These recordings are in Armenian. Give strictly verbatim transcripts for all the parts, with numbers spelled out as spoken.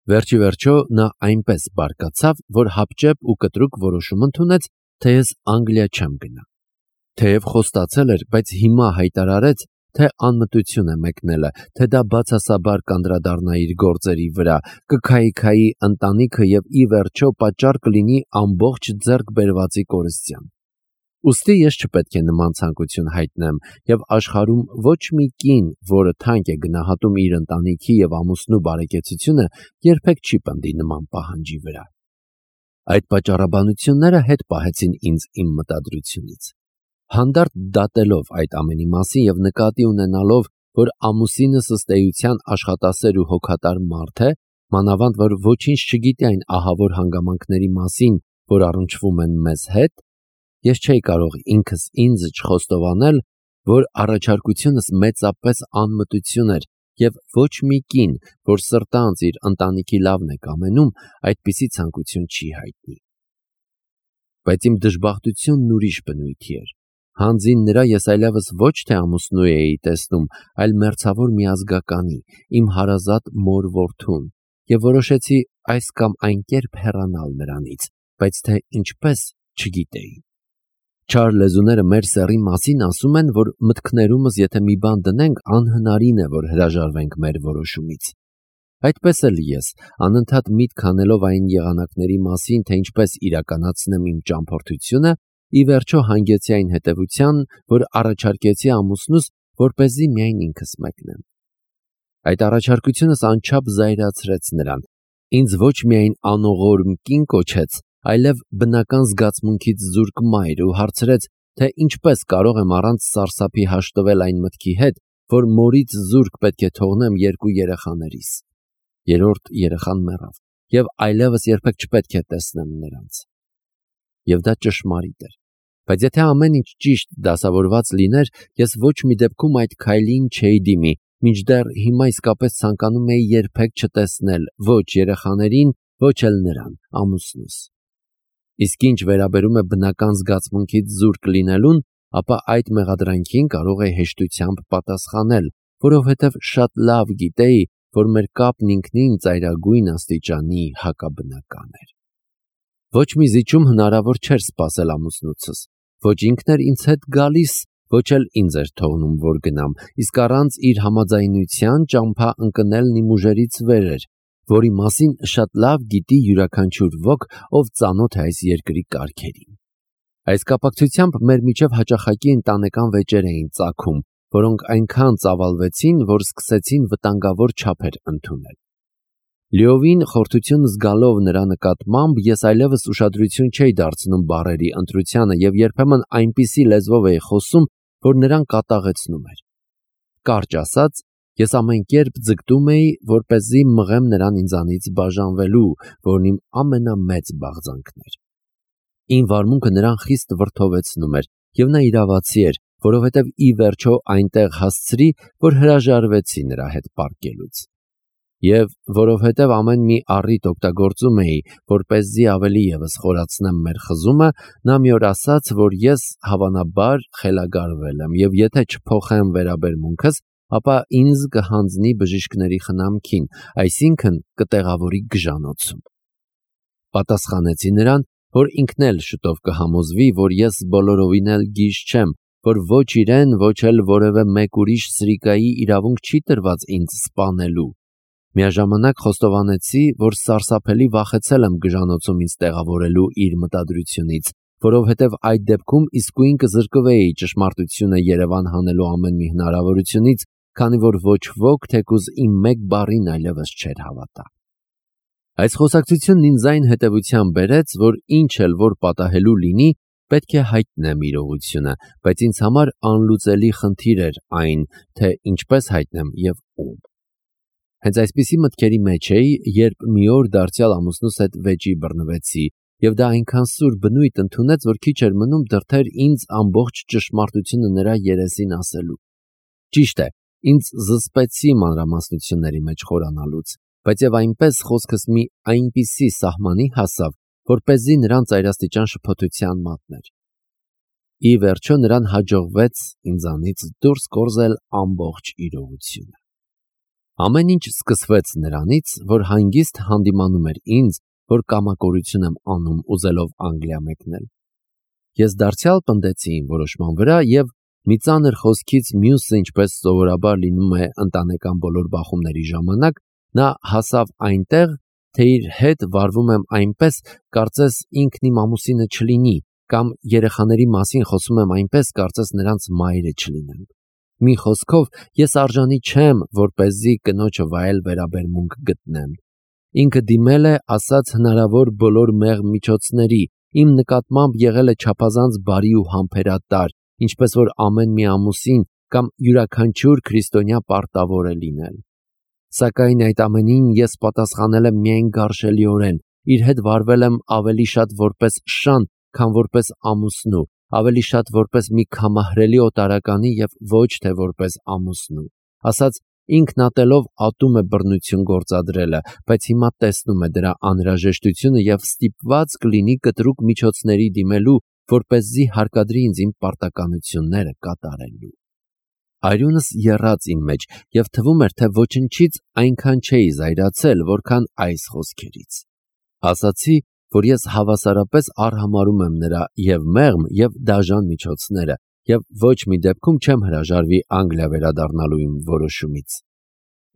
Վերջի վերջո նա այնպես բարկացավ, որ հապճեպ ու կտրուկ որոշում ընդունեց, թե ես Անգլիա չեմ գնա։ Թեև խոստացել էր, բայց հիմա հայտարարեց, թե անմտություն է մեկնելը, թե դա բացասաբար կանդրադառնա իր գործերի վրա, կքայքայի ընտանիքը և ի վերջո պատճառ կլինի ամբողջ ձեռք բերվածի կորստյան։ Ուստի ես չպետք է նման ցանկություն հայտնեմ, և աշխարհում ոչ մի կին, որը թանկ է գնահատում իր ընտանիքի և ամուսնու բարեկեցությունը, երբեք չի պնդի նման պահանջի վրա։ Այդ պատճառաբանությունները հետ պահեցին ինձ իմ մտադրությունից։ Հանդարտ դատելով այդ ամենի մասին և նկատի ունենալով, որ ամուսինս ըստ էության աշխատասեր ու հոգատար մարդ է, մանավանդ որ ոչինչ չգիտի այն ահավոր հանգամանքների մասին, որ առնչվում են մեզ հետ, ես չէի կարող ինքս ինձ չխոստովանել, որ առաջարկությունս մեծապես անմտություն էր և ոչ մի կին, որ սրտանց իր ընտանիքի լավն է կամենում, այդպիսի ցանկություն չի հայտնի։ Բայց իմ դժբախտությունն ուրիշ բնույթի էր։ Հանձին նրա ես այլևս ոչ թե ամուսնու էի տեսնում, այլ մերձավոր միազգականի, իմ հարազատ մոր որդուն, և որոշեցի այս կամ այն կերպ հեռանալ նրանից, բայց թե ինչպես չգիտեի։ Չար լեզուները մեր սեռի մասին ասում են, որ մտքներումս եթե մի բան դնենք, անհնարին է, որ հրաժարվենք մեր որոշումից։ Այդպես էլ ես, անընդհատ միտք անելով այն եղանակների մասին, թե ինչպես իրականացնեմ իմ ճամփորդությունը, ի վերջո հանգեցի այն հետևության, որ առաջարկեցի ամուսնուս, որպեսզի միայն ինքս մեկնեմ։ Այդ առաջարկությունս անչափ զայրացրեց նրան, ինձ ոչ միայն անողորմ կին կոչեց, այլև բնական զգացմունքից զուրկ մայր ու հարցրեց, թե ինչպես կարող եմ առանց սարսափի հաշտվել այն մտքի հետ, որ մորից զուրկ պետք է թողնեմ երկու երեխաներիս։ Երրորդ երեխան մեռավ, և այլևս երբեք չպետք է տեսնեմ նրանց։ Եվ դա ճշմարիտ էր։ Բայց եթե ամեն ինչ ճիշտ դասավորված լիներ, ես ոչ մի դեպքում այդ քայլին չէի դիմի, մինչդեռ հիմա իսկապես ցանկանում էի երբեք չտեսնել ոչ երեխաներին, ոչ էլ նրան, ամուսնուս։ Իսկ ինչ վերաբերում է բնական զգացմունքից զուրկ լինելուն, ապա այդ մեղադրանքին կարող էի հեշտությամբ պատասխանել, որովհետև շատ լավ գիտեի, որ մեր կապն ինքնին ծայրագույն աստիճանի հակաբնական էր։ Ոչ մի զիջում հնարավոր չէր սպասել ամուսնուցս, ոչ ինքն էր ինձ հետ գալիս, ոչ էլ ինձ էր թողնում, որ գնամ, իսկ առանց իր համաձայնության ճամփա ընկնելն իմ ուժերից վեր էր, որի մասին շատ լավ գիտի յուրաքանչյուր ոք, ով ծանոթ է այս երկրի կարգերին։ Այս կապակցությամբ մեր միջև հաճախակի ընտանեկան վեճեր էին ծագում, որոնք այնքան ծավալվեցին, որ սկսեցին վտանգավոր չափեր ընդունել։ Լիովին խորթություն զգալով նրա նկատմամբ, ես այլևս ուշադրություն չէի դարձնում բառերի ընտրությանը և երբեմն այնպիսի լեզվով էի խոսում, որ նրան կատաղեցնում էր։ Կարճ ասած, ես ամեն կերպ ձգտում էի, որպեսզի մղեմ նրան ինձանից բաժանվելու, որն իմ ամենամեծ բաղձանքն էր։ Իմ վարմունքը նրան խիստ վրդովեցնում էր, և նա իրավացի էր, որովհետև ի վերջո այնտեղ հասցրի, որ հրաժարվեցի նրա հետ պառկելուց։ Եվ որովհետև ամեն մի առիթ օգտագործում էի, որպեսզի ավելի ևս խորացնեմ մեր խզումը, նա մի օր ասաց, որ ես հավանաբար խելագարվել եմ, և եթե չփոխեմ վերաբերմունքս, ապա ինձ կհանձնի բժիշկների խնամքին, այսինքն կտեղավորի գժանոցում։ Պատասխանեցի նրան, որ ինքն էլ շուտով կհամոզվի, որ ես բոլորովին էլ գիժ չեմ, որ ոչ իրեն, ոչ էլ որևէ մեկ ուրիշ սրիկայի իրավունք չի տրված ինձ սպանելու։ Միաժամանակ խոստովանեցի, որ սարսափելի վախեցել եմ գժանոցում ինձ տեղավորելու իր մտադրությունից, որովհետև այդ դեպքում իսկույն կզրկվեի ճշմարտությունը Երևան հանելու ամեն մի հնարավորությունից, քանի որ ոչ ոք թեկուզ իմ մեկ բառին այլևս չէր հավատա։ Այս խոսակցությունն ինձ այն հետևության բերեց, որ ինչ էլ որ պատահելու լինի, պետք է հայտնեմ իրողությունը, բայց ինձ համար անլուծելի խնդիր էր այն, թե ինչպես հայտնեմ և ում։ Հենց այսպիսի մտքերի մեջ էի, երբ մի օր դարձյալ ամուսնուս հետ վեճի բռնվեցի, և դա այնքան սուր բնույթ ընդունեց, որ քիչ էր մնում դրդեր ինձ ամբողջ ճշմարտությունը նրա երեսին ասելու։ Ճիշտ է, ինձ զսպեցի մանրամասնությունների մեջ խորանալուց, բայց և այնպես խոսքս մի այնպիսի սահմանի հասավ, որպեսզի նրան ծայրաստիճան շփոթության մատներ։ Ի վերջո նրան հաջողվեց ինձանից դուրս կորզել ամբողջ իրողությունը։ Ամեն ինչ սկսվեց նրանից, որ հանգիստ հանդիմանում էր ինձ, որ կամակորություն եմ անում ուզելով Անգլիա մեկնել։ Ես դարձյալ պնդեցի իմ որոշման վրա և մի ծանր խոսքից մյուսը, ինչպես սովորաբար լինում է ընտանեկան բոլոր բախումների ժամանակ, նա հասավ այնտեղ, թե իր հետ վարվում եմ այնպես, կարծես ինքն իմ ամուսինը չլինի, կամ երեխաների մասին խոսում եմ այնպես, կարծես նրանց մայրը չլինեմ։ Մի խոսքով, ես արժանի չեմ, որպեսզի կնոջը վայել վերաբերմունք գտնեմ։ Ինքը դիմել է, ասաց հնարավոր բոլոր մեղմ միջոցների, իմ նկատմամբ եղել է չափազանց բարի ու համբերատար, ինչպես որ ամեն մի ամուսին կամ յուրաքանչյուր քրիստոնյա պարտավոր է լինել։ Սակայն այդ ամենին ես պատասխանել եմ միայն գարշելիորեն, իր հետ վարվել եմ ավելի շատ որպես շան, քան որպես ամուսնու, ավելի շատ որպես մի քամահրելի օտարականի և ոչ թե որպես ամուսնու։ Ասաց, ինքն ատելով ատում է բռնություն գործադրելը, բայց հիմա տեսնում է դրա անհրաժեշտությունը և ստիպված կլինի կտրուկ միջոցների դիմելու, որպեսզի հարկադրի ինձ իմ պարտականությունները կատարելու։ Արյունս եռաց իմ մեջ և թվում էր, թե ոչնչից այնքան չէի զայրացել, որքան այս խոսքերից։ Ասացի, որ ես հավասարապես արհամարհում եմ նրա և մեղմ, և դաժան միջոցները, և ոչ մի դեպքում չեմ հրաժարվի Անգլիա վերադառնալու իմ որոշումից։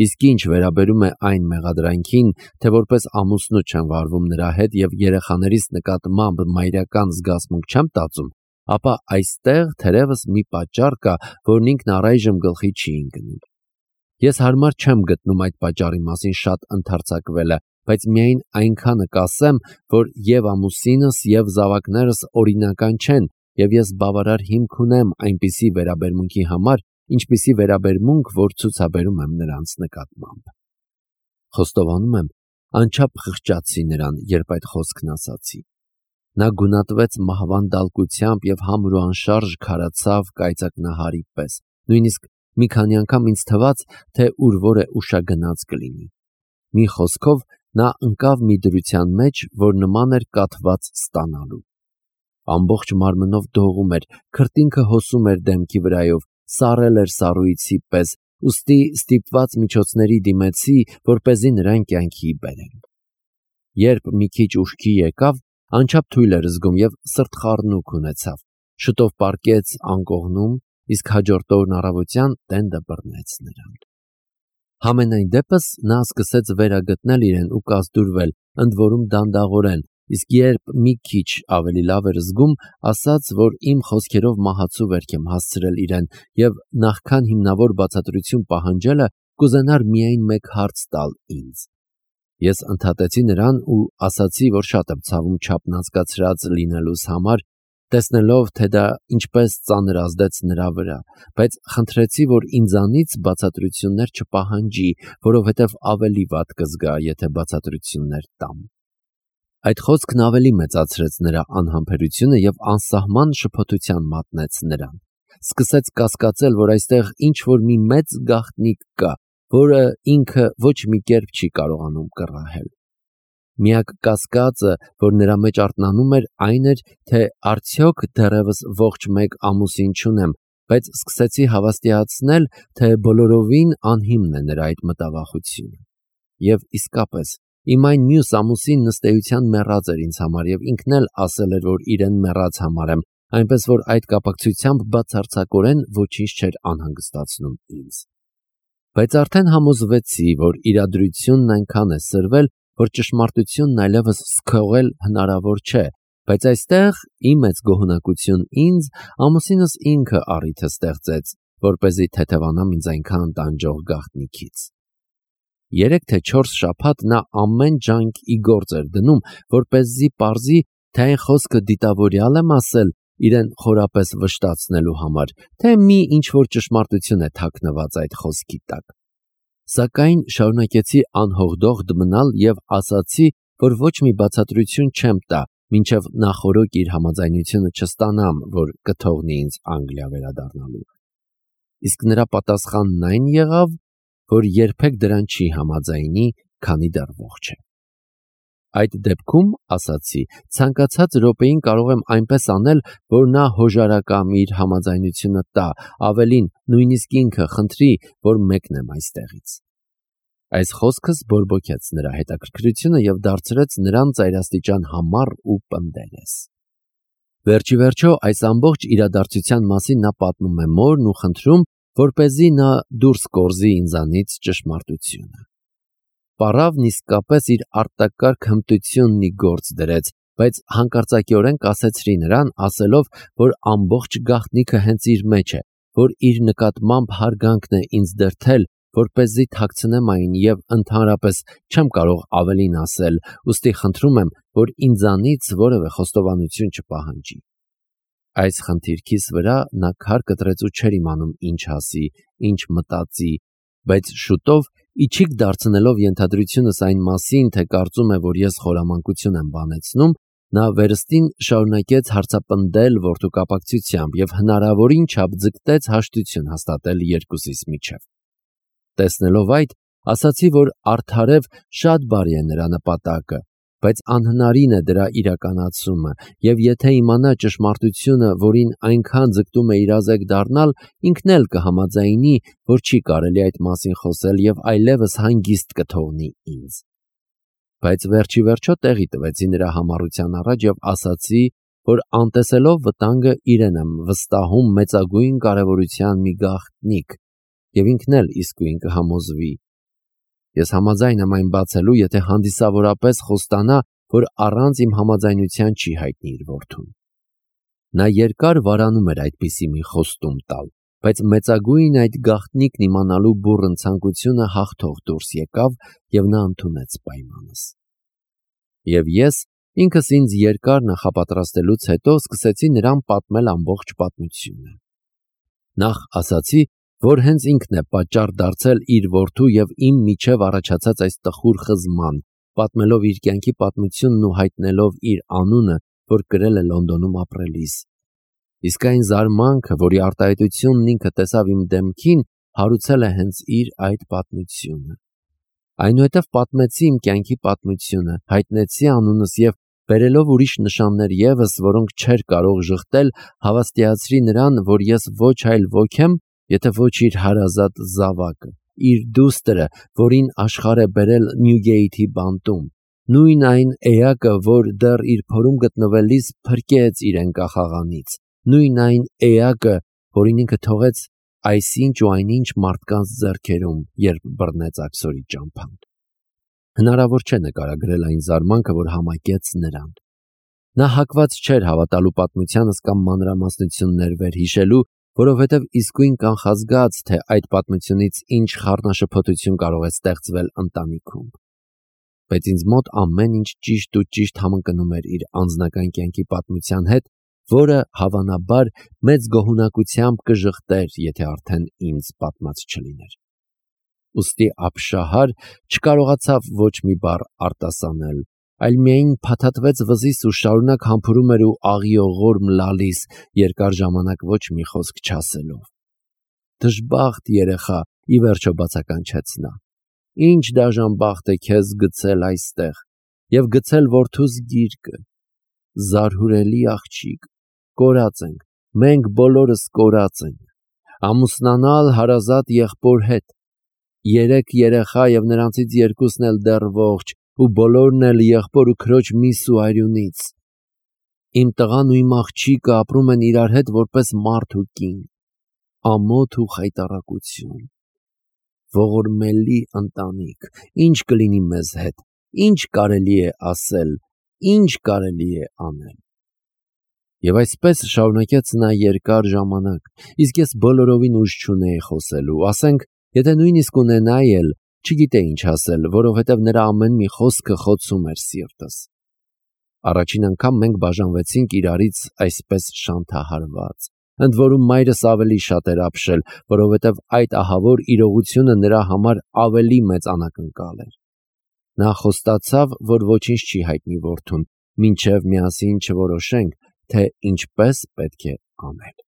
Իսկ ինչ վերաբերում է այն մեղադրանքին, թե որպես ամուսնու չեմ վարվում նրա հետ և երեխաներիս նկատմամբ մայրական զգացմունք չեմ տածում, ապա այստեղ թերևս մի պատճառ կա, որն ինքն առայժմ գլխի չի ընկնում։ Ես հարմար չեմ գտնում այդ պատճառի մասին շատ ընդարձակվելը, բայց միայն այնքանը կասեմ, որ և ամուսինս, և զավակներս օրինական չեն, և ես բավարար հիմք ունեմ այնպիսի վերաբերմունքի համար, ինչպիսի վերաբերմունք, որ ցուցաբերում եմ նրանց նկատմամբ։ Խոստովանում եմ, անչափ խղճացի նրան, երբ այդ խոսքն ասացի։ Նա գունատվեց մահվան դալկությամբ և համր ու անշարժ քարացավ կայծակնահարի պես, նույնիսկ մի քանի անգամ ինձ թվաց, թե ուր որ է ուշագնաց կլինի։ Մի խոսքով, նա ընկավ մի դրության մեջ, որ նման էր կաթված ստանալու։ Ամբողջ մարմնով դողում էր, քրտինքը հոսում էր դեմքի վրայով, սառել էր սառույցի պես, ուստի ստիպված միջոցների դիմեցի, որպեսզի նրան կյանքի բերեմ։ Երբ մի քիչ ուշքի եկավ, անչափ թույլ էր զգում և սրտխառնուկ ունեցավ, շուտով պառկեց անկողնում, իսկ հաջորդ օրն առավոտյան տենդը բռնեց նրան։ Համենայն դեպս նա սկսեց վերագտնել իրեն ու կազդուրվել, ընդ որում դանդաղորեն, իսկ երբ մի քիչ ավելի լավ էր զգում, ասաց, որ իմ խոսքերով մահացու վերք եմ հասցրել իրեն և նախքան հիմնավոր բացատրություն պահանջելը կուզենար միայն մեկ հարց տալ ինձ։ Ես ընդհատեցի նրան ու ասացի, որ շատ եմ ցավում չափնազգացրած լինելուս համար, տեսնելով, թե դա ինչպես ծանր ազդեց նրա վրա, բայց խնդրեցի, որ ինձանից բացատրություններ չպահանջի, որովհետև ավելի վատ կզգա, եթե բացատրություններ տամ։ Այդ խոսքն ավելի մեծացրեց նրա անհամբերությունը և անսահման շփոթության մատնեց նրան։ Սկսեց կասկածել, որ այստեղ ինչ-որ մի մեծ գաղտնիք կա, որը ինքը ոչ մի կերպ չի կարողանում կռահել։ Միակ կասկածը, որ նրա մեջ արթնանում էր, այն էր, թե արդյոք դեռևս ողջ մեկ ամուսին չունեմ, բայց սկսեցի հավաստիացնել, թե բոլորովին անհիմն է նրա այդ մտավախությունը։ Եվ իսկապես, իմ այն մյուս ամուսինն ըստ էության մեռած էր ինձ համար և ինքն էլ ասել էր, որ իրեն մեռած համարեմ, այնպես որ այդ կապակցությամբ բացարձակորեն ոչինչ չէր անհանգստացնում ինձ։ Բայց արդեն համոզվեցի, որ իրադրությունն այնքան է սրվել, որ ճշմարտությունն այլևս սքողել հնարավոր չէ, բայց այստեղ ի մեծ գոհունակություն ինձ, ամուսինս ինքը առիթը ստեղծեց, որպեսզի թեթևանամ ինձ այնքան տանջող գաղտնիքից։ Երեք թե չորս շաբաթ նա ամեն ջանք ի գործ էր դնում, որպեսզի պարզի, թե այն խոսքը դիտավորյալ եմ ասել իրեն խորապես վշտացնելու համար, թե մի ինչ-որ ճշմարտություն է թաքնված այդ խոսքի տակ։ Սակայն շարունակեցի անհողդողդ մնալ և ասացի, որ ոչ մի բացատրություն չեմ տա, մինչև նախօրոք իր համաձայնությունը չստանամ, որ կթողնի ինձ Անգլիա վերադառնալու։ Իսկ նրա պատասխանն այն եղավ, որ երբեք դրան չի համաձայնի, քանի դեռ ողջ է։ Այդ դեպքում, ասացի, ցանկացած րոպեին կարող եմ այնպես անել, որ նա հոժարակամ իր համաձայնությունը տա, ավելին, նույնիսկ ինքը խնդրի, որ մեկնեմ այստեղից։ Այս խոսքս բորբոքեց նրա հետաքրքրությունը և դարձրեց նրան ծայրաստիճան համառ ու պնդելես։ Վերջի վերջո այս ամբողջ իրադարձության մասին նա պատմում է մորն ու խնդրում, որպեսզի նա դուրս կորզի ինձանից ճշմարտությունը։ Պառավն իսկապես իր արտակարգ հմտությունն ի գործ դրեց, բայց հանկարծակիորեն կասեցրի նրան, ասելով, որ ամբողջ գաղտնիքը հենց իր մեջ է, որ իր նկատմամբ հարգանքն է ինձ դրդել, որպեսզի թաքցնեմ այն և ընդհանրապես չեմ կարող ավելին ասել, ուստի խնդրում եմ, որ ինձանից որևէ խոստովանություն չպահանջի։ Այս խնդիրքիս վրա նա քար կտրեց ու չէր իմանում ինչ ասի, ինչ մտածի, բայց շուտով իչիք դարձնելով ենթադրությունս այն մասին, թե կարծում է, որ ես խորամանկություն եմ բանեցնում, նա վերստին շարունակեց հարցապնդել որդու կապակցությամբ և հնարավորին չափ ձգտեց հաշտություն հաստատել երկուսիս միջև։ Տեսնելով այդ, ասացի, որ արդարև շատ բարի է նրա նպատակը, բայց անհնարին է դրա իրականացումը, և եթե իմանա ճշմարտությունը, որին այնքան ձգտում է իրազեկ դառնալ, ինքն էլ կհամաձայնի, որ չի կարելի այդ մասին խոսել և այլևս հանգիստ կթողնի ինձ։ Բայց վերջի վերջո տեղի տվեցի նրա համառության առաջ և ասացի, որ անտեսելով վտանգը իրեն եմ վստահում մեծագույն կարևորության մի գաղտնիք, և ինքն էլ իսկույն կհամոզվի։ Ես համաձայն եմ այն բացելու, եթե հանդիսավորապես խոստանա, որ առանց իմ համաձայնության չի հայտնի իր որդուն։ Նա երկար վարանում էր այդպիսի մի խոստում տալ, բայց մեծագույն այդ գաղտնիքն իմանալու բուռն ցանկությունը հաղթող դուրս եկավ, և նա ընդունեց պայմանս։ Եվ ես ինքս ինձ երկար նախապատրաստելուց հետո սկսեցի նրան պատմել ամբողջ պատմությունը։ Նախ ասացի, որ հենց ինքն է պատճառ դարձել իր որդու և իմ միջև առաջացած այս տխուր խզման, պատմելով իր կյանքի պատմությունն ու հայտնելով իր անունը, որ կրել է Լոնդոնում ապրելիս։ Իսկ այն զարմանքը, որի արտահայտությունն ինքը տեսավ իմ դեմքին, հարուցել է հենց իր այդ պատմությունը։ Այնուհետև պատմեցի իմ կյանքի պատմությունը, հայտնեցի անունս և բերելով ուրիշ նշաններ ևս, որոնք չէր կարող ժխտել, հավաստիացրի նրան, որ ես ոչ այլ ոք եմ, եթե ոչ իր հարազատ զավակը, իր դուստրը, որին աշխարհ է բերել Նյուգեյթի բանտում, նույն այն էակը, որ դեռ իր փորում գտնվելիս փրկեց իրեն կախաղանից, նույն այն էակը, որին ինքը թողեց այսինչ ու այնինչ մարդկանց ձեռքերում, երբ բռնեց աքսորի ճամփան։ Հնարավոր չէ նկարագրել այն զարմանքը, որ համակեց նրան։ Նա հակված չէր հավատալու պատմությանս կամ մանրամասնություններ վերհիշելու, որովհետև իսկույն կանխազգաց, թե այդ պատմությունից ինչ խառնաշփոթություն կարող է ստեղծվել ընտանիքում։ Բայց ինձ մոտ ամեն ինչ ճիշտ ու ճիշտ համընկնում էր իր անձնական կյանքի պատմության հետ, որը հավանաբար մեծ գոհունակությամբ կժխտեր, եթե արդեն ինձ պատմած չլիներ։ Ուստի ապշահար չկարողացավ ոչ մի բառ արտասանել, այլ միայն փաթաթվեց վզիս ու շարունակ համբուրում էր ու աղիողորմ լալիս, երկար ժամանակ ոչ մի խոսք չասելով։ Դժբախտ երեխա, ի վերջո բացականչեց նա։ Ինչ դաժան բախտ է քեզ գցել այստեղ և գցել որդուս գիրկը։ Զարհուրելի աղջիկ, կորած ենք, մենք բոլորս կորած ենք։ Ամուսնանալ հարազատ եղբոր հետ, երեք երեխա և նրանցից երկուսն էլ դեռ ողջ, ու բոլորն էլ եղբոր ու քրոջ միս ու արյունից։ Իմ տղան ու իմ աղջիկը ապրում են իրար հետ որպես մարդ ու կին, ամոթ ու խայտառակություն։ Ողորմելի ընտանիք, ինչ կլինի մեզ հետ, ինչ կարելի է ասել, ինչ կարելի է անել։ Եվ այսպես շարունակեց նա երկար ժամանակ, իսկ ես բոլորովին ուժ չունեի խոսելու, ասենք, եթե նույնիսկ ունենայի էլ, չգիտեի ինչ ասել, որովհետև նրա ամեն մի խոսքը խոցում էր սիրտս։ Առաջին անգամ մենք բաժանվեցինք իրարից այսպես շանթահարված, ընդ որում մայրս ավելի շատ էր ապշել, որովհետև այդ ահավոր իրողությունը նրա համար ավելի մեծ անակնկալ էր։ Նա խոստացավ, որ ոչինչ չի հայտնի որդուն, մինչև միասին չորոշենք, թե ինչպես պետք է անել։